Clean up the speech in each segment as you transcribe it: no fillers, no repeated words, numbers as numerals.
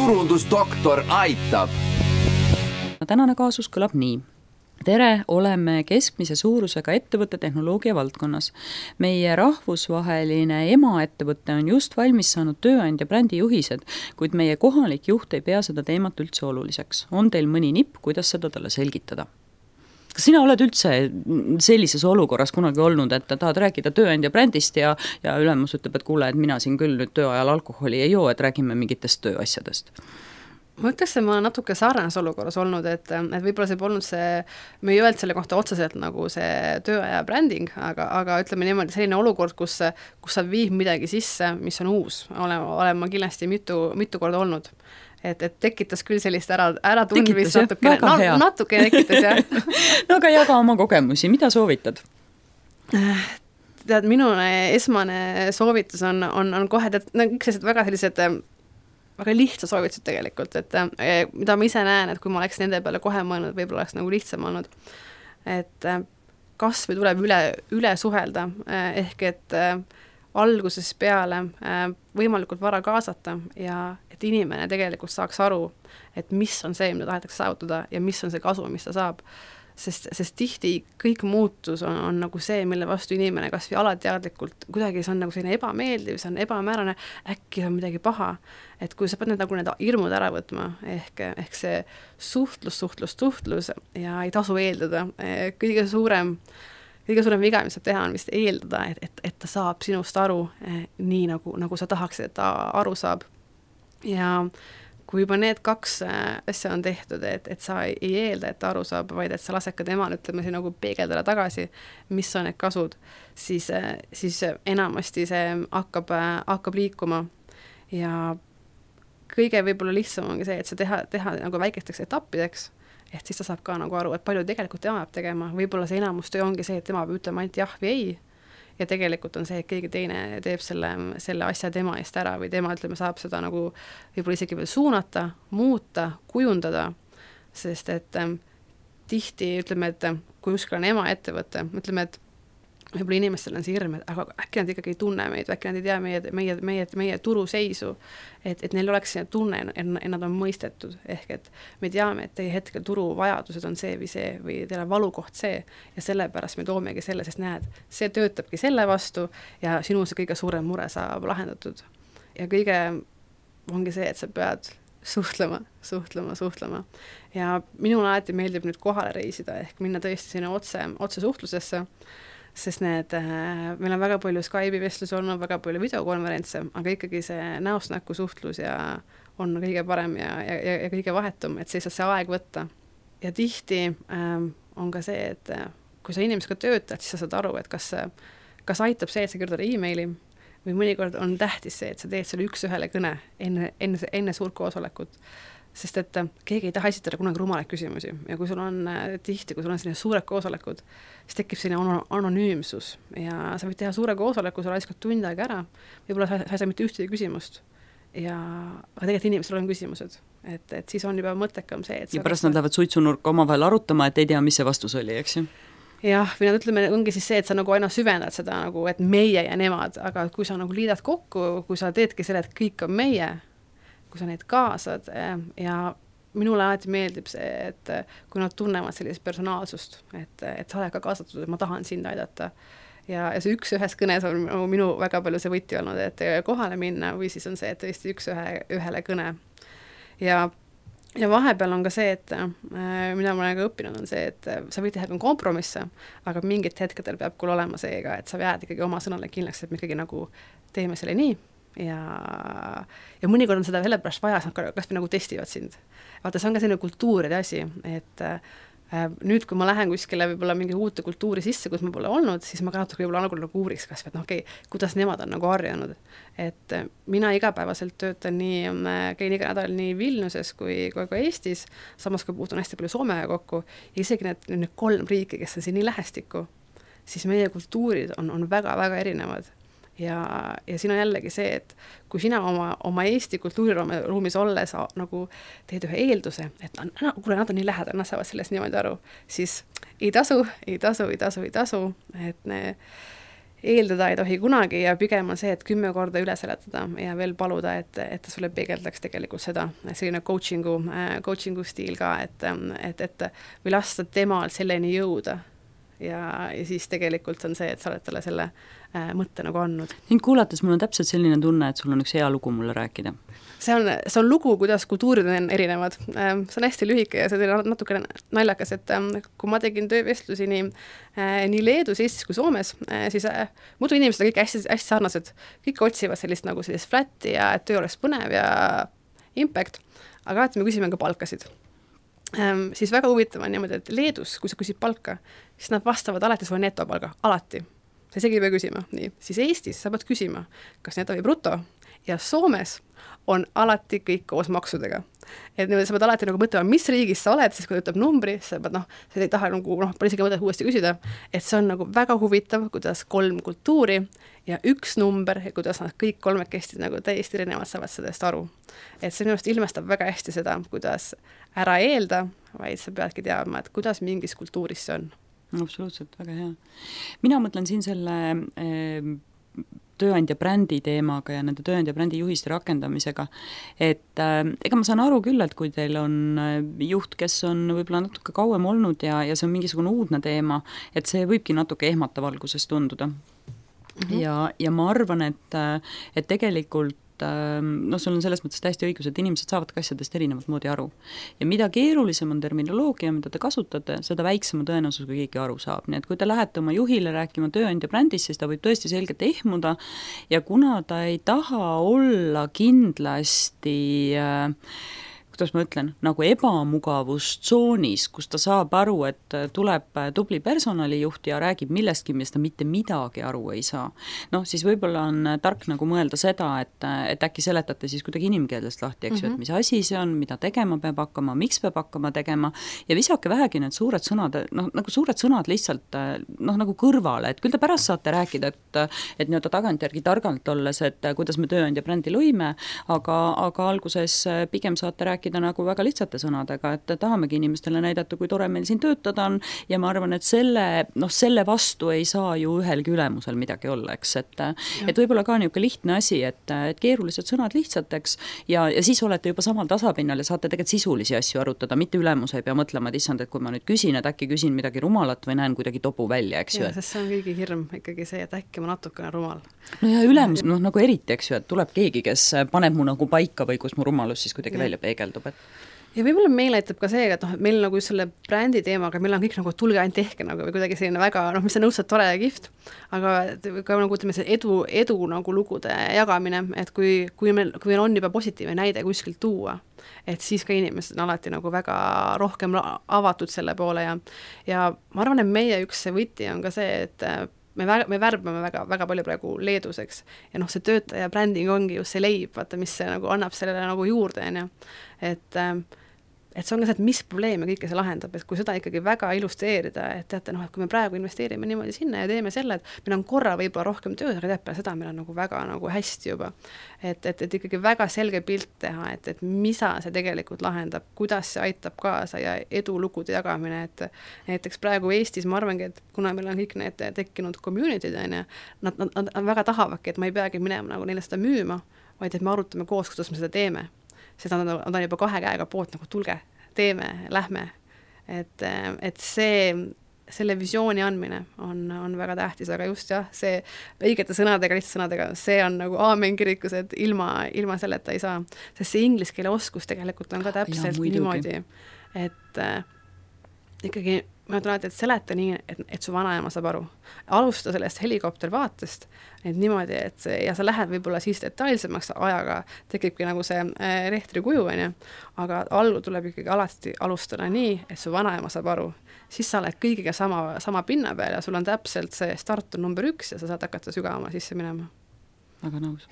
turundusdoktor aitab. Tänane kaasus kõlab nii. Tere, oleme keskmise suurusega ettevõtte tehnoloogia valdkonnas. Meie rahvusvaheline emaettevõte on just valmis saanud tööandja brändi juhised, kuid meie kohalik juht ei pea seda teemat üldse oluliseks. On teil mõni nipp, kuidas seda talle selgitada? Kas sina oled üldse sellises olukorras kunagi olnud, et tahad rääkida tööandja brändist ja ülemus ütleb, et kuule, et mina siin küll nüüd tööajal alkoholi ei joo, et räägime mingitest tööasjadest? Ma ütleks, et ma olen natuke sarnases olukorras olnud, et võib-olla see polnud see, me ei öelnud selle kohta otseselt nagu see tööaja bränding, aga ütleme niimoodi selline olukord, kus sa viib midagi sisse, mis on uus, olen ma kindlasti mitu korda olnud. Et tekitas küll sellist ära tundmist natuke tekitas, jah. No aga jaga oma kogemusi, mida soovitad? Tead, minu esmane soovitus on kohe, kõik väga sellised väga lihtsa soovitused tegelikult, et mida ma ise näen, et kui ma oleks nende peale kohe mõelnud, võib-olla oleks nagu lihtsam olnud, et kas või tuleb üle suhelda, ehk et alguses peale võimalikult vara kaasata ja et inimene tegelikult saaks aru, et mis on see, mida tahetakse saavutada ja mis on see kasu, mis ta saab. Sest tihti kõik muutus on nagu see, mille vastu inimene kas või alateadlikult, kuidagi see on nagu selline ebameeldiv, see on ebamäärane, äkki see on midagi paha. Et kui sa pead need hirmud ära võtma, ehk see suhtlus ja ei tasu eeldada. Kõige suurem viga, mis saab teha, on vist eeldada, et ta saab sinust aru nii, nagu sa tahaksid, et ta aru saab. Ja kui juba need kaks asja on tehtud, et sa ei eelda, et ta aru saab, vaid et sa lased ka temal, ütleme siin nagu peegeldada tagasi, mis on need kasud, siis enamasti see hakkab liikuma. Ja kõige võib-olla lihtsam ongi see, et sa teha nagu väikesteks etappideks, et siis ta saab ka nagu aru, et palju tegelikult tema peab tegema. Võib-olla see enamustöö ongi see, et tema peab ütlema ainult jah või ei. Ja tegelikult on see, et keegi teine teeb selle asja tema eest ära või tema, ütleme, saab seda nagu võib-olla isegi veel suunata, muuta, kujundada, sest et tihti, ütleme, et kui uskal on emaettevõte, ütleme, et võib-olla inimestel on see hirm, et aga äkki nad ikkagi ei tunne meid, äkki nad ei tea meie turuseisu, et neil oleks see tunne, et nad on mõistetud, ehk et me teame, et teie hetkel turuvajadused on see või teile valukoht see ja sellepärast me toomegi selle, sest näed, see töötabki selle vastu ja sinu see kõige suurem mure saab lahendatud. Ja kõige ongi see, et sa pead suhtlema. Ja minul alati meeldib nüüd kohale reisida, ehk minna tõesti sinna otse suhtlusesse, sest meil on väga palju Skype'i vestlus olnud, väga palju videokonverentse, aga ikkagi see näost näkku suhtlus ja on kõige parem ja kõige vahetum, et see saab see aeg võtta. Ja tihti on ka see, et kui sa inimesega töötad, siis sa saad aru, et kas aitab see, et sa kirjutad e-maili või mõnikord on tähtis see, et sa teed selle üks-ühele kõne enne suurt koosolekut. Sest et keegi ei taha esitada kunagi rumalaid küsimusi ja kui sul on tihti, kui sul on selline suured koosolekud, siis tekib selline anonüümsus ja sa võid teha suure koosoleku, sa raiskad tund aega ära, võib-olla sa ei saa mitte ühtegi küsimust aga tegelikult inimestel on küsimused, et siis on juba mõttekam see, et ja pärast nad lähevad suitsunurka omavahel arutama, et ei tea, mis see vastus oli, eks ju? Jah, või nad ütleme, ongi siis see, et sa nagu aina süvendad seda, nagu, et meie ja nemad, aga kui sa nagu liidad kokku, kui sa teedki selle, et kõik on meie, kui sa neid kaasad ja minule alati meeldib see, et kui nad tunnevad sellist personaalsust, et sa oled ka kaasatud, et ma tahan sind aidata ja see üks-ühes kõnes on minu väga palju see võti olnud, et kohale minna või siis on see, et tõesti üks-ühele kõne ja vahepeal on ka see, et mida ma olen ka õppinud on see, et sa võid teha kompromisse, aga mingit hetkedel peab küll olema seega, et sa jääd ikkagi oma sõnale kindlaks, et me ikkagi nagu teeme selle nii ja mõnikord on seda sellepärast vaja, kas me nagu testivad sind. Vaata, see on ka selline kultuuride asi, et nüüd, kui ma lähen kuskile võib-olla mingi uute kultuuri sisse, kus ma pole olnud, siis ma ka natuke võib-olla nagu uuriks kas, et okei, kuidas nemad on nagu harjanud. Et mina igapäevaselt töötan käin iga nädal nii Vilniuses kui ka Eestis, samas kui puutun hästi palju Soomega kokku ja isegi need 3 riiki, kes on siin nii lähestikku, siis meie kultuurid on väga-väga erinevad. Ja siin on jällegi see, et kui sina oma Eesti kultuuriruumis olles nagu teed ühe eelduse, et kuule, nad on nii lähedal, nad saavad sellest niimoodi aru, siis ei tasu, et eeldada ei tohi kunagi ja pigem on see, et 10 korda üle seletada ja veel paluda, et ta sulle peegeldaks tegelikult seda, selline coachingu stiil ka, et või lasta temal selleni jõuda. Ja siis tegelikult on see, et sa oled talle selle mõtte nagu andnud. Ning kuulates mul on täpselt selline tunne, et sul on üks hea lugu mulle rääkida. See on lugu, kuidas kultuurid on erinevad. See on hästi lühike ja see on natuke naljakas, et kui ma tegin töövestlusi nii Leedus, Eestis kui Soomes, siis muidu inimesed on kõik hästi sarnased. Kõik otsivad sellist flatti ja et töö oleks põnev ja impact, aga alati me küsime ka palkasid. Siis väga huvitav on niimoodi, et Leedus, kui sa küsid palka, siis nad vastavad alati sulle netopalga, alati. Sa isegi ei pea küsima. Nii. Siis Eestis sa pead küsima, kas neto või bruto ja Soomes on alati kõik koos maksudega. Et sa pead alati nagu mõtlema, mis riigis sa oled, siis kui ta ütleb numbri, sa pead sa ei taha pole isegi mõtet uuesti küsida, et see on nagu väga huvitav, kuidas 3 kultuuri ja 1 number ja kuidas nad kõik 3 nagu täiesti erinevad saavad sellest aru. Et see minust ilmestab väga hästi seda, kuidas ära eelda, vaid sa peadki teadma, et kuidas mingis kultuuris see on. Absoluutselt, väga hea. Mina mõtlen siin selle tööandja brändi teemaga ja nende tööandja brändi juhiste rakendamisega, et ega ma saan aru küll, et kui teil on juht, kes on võib-olla natuke kauem olnud ja see on mingisugune uudne teema, et see võibki natuke ehmata valguses tunduda. Ja ma arvan, et tegelikult sul on selles mõttes täiesti õigus, et inimesed saavad asjadest erinevat moodi aru. Ja mida keerulisem on terminoloogia, mida te kasutate, seda väiksema tõenäosus, kui keegi aru saab. Nii et kui te lähete oma juhile rääkima tööandja brändis, siis ta võib tõesti selgelt ehmuda ja kuna ta ei taha olla kindlasti kuidas ma ütlen, nagu ebamugavustsoonis, kus ta saab aru, et tuleb tubli personalijuht ja räägib millestki, millest ta mitte midagi aru ei saa. Siis võib-olla on tark nagu mõelda seda, et äkki seletate siis kuidagi inimkeelest lahti, eks ju, et mis asi see on, mida tegema peab hakkama, miks peab hakkama tegema ja visake vähegi need suured sõnad, nagu suured sõnad lihtsalt nagu kõrvale, et küll te pärast saate rääkida, et nii-öelda tagantjärgi targalt olles, et kuidas me tööandja brändi lõime, aga alguses pigem saate rääkida nagu väga lihtsate sõnadega, et tahamegi inimestele näidata, kui tore meil siin töötada on ja ma arvan, et selle vastu ei saa ju ühelgi ülemusel midagi olla, eks, et võib-olla ka niisugune lihtne asi, et keerulised sõnad lihtsateks ja siis olete juba samal tasapinnal ja saate tegelikult sisulisi asju arutada, mitte ülemus ei pea mõtlema, et issand, et kui ma nüüd küsin, et äkki küsin midagi rumalat või näen kuidagi topu välja, eks ju. Sest see on kõigi hirm ikkagi see, et äkki ma natukene rumal. No ja ülemus, nagu eriti, eks ju, et tuleb keegi, kes paneb mu nagu paika või kus mu rumalus siis kuidagi välja peegeldub. Ja võib-olla meil aitab ka see, et meil nagu selle brändi teemaga, meil on kõik nagu tulge ainult tehke nagu, või kuidagi selline väga, mis on õudselt tore ja kihvt, aga ka nagu ütleme see edu nagu lugude jagamine, et kui meil on juba positiivne näide kuskilt tuua, et siis ka inimesed on alati nagu väga rohkem avatud selle poole ja ma arvan, et meie üks see võti on ka see, et me värbame väga palju praegu Leeduseks ja see töötaja bränding ongi just see leib, vaata, mis see nagu annab sellele nagu juurde, et see on ka see, et mis probleeme kõike see lahendab, et kui seda ikkagi väga illustreerida, et teate, et kui me praegu investeerime niimoodi sinna ja teeme selle, et meil on korra võib-olla rohkem tööd, aga teab seda meil on nagu väga nagu hästi juba. Et ikkagi väga selge pilt teha, et mida see tegelikult lahendab, kuidas see aitab kaasa ja edulugude jagamine, et näiteks praegu Eestis ma arvangi, et kuna meil on kõik need tekkinud community'd, nad väga tahavadki, et ma ei peagi minema nagu neile seda müüma, vaid et me arutame koos, kuidas me seda teeme. Seda nad on juba 2 käega poolt nagu tulge, teeme, lähme. Et selle visiooni andmine on väga tähtis, aga just see õigete sõnadega, lihtsalt sõnadega, see on nagu aamen kirikus, et ilma selleta ei saa. Sest see inglise keele oskus tegelikult on ka täpselt niimoodi, et ikkagi ma ütlen alati, et seleta nii, et su vanaema saab aru. Alusta sellest helikoptervaatest, et niimoodi, ja sa lähed võib-olla siis detailsemaks ajaga, tekibki nagu see rehtri kuju, aga algu tuleb ikkagi alati alustada nii, et su vanaema saab aru. Siis sa oled kõigiga sama pinna peal ja sul on täpselt see start on number 1 ja sa saad hakata sügavama sisse minema. Väga nõus.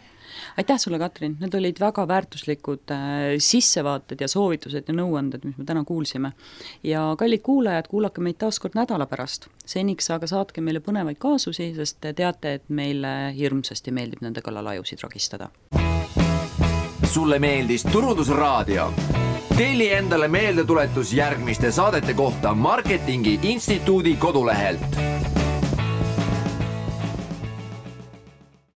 Aitäh sulle, Katrin, need olid väga väärtuslikud sissevaated ja soovitused ja nõuanded, mis me täna kuulsime. Ja kallid kuulajad, kuulake meid taas kord nädala pärast. Seniks aga saatke meile põnevaid kaasusi, sest te teate, et meile hirmsasti meeldib nende kallal ajusid ragistada. Sulle meeldis Turundusraadio? Telli endale meeldetuletus järgmiste saadete kohta Marketingi Instituudi kodulehelt.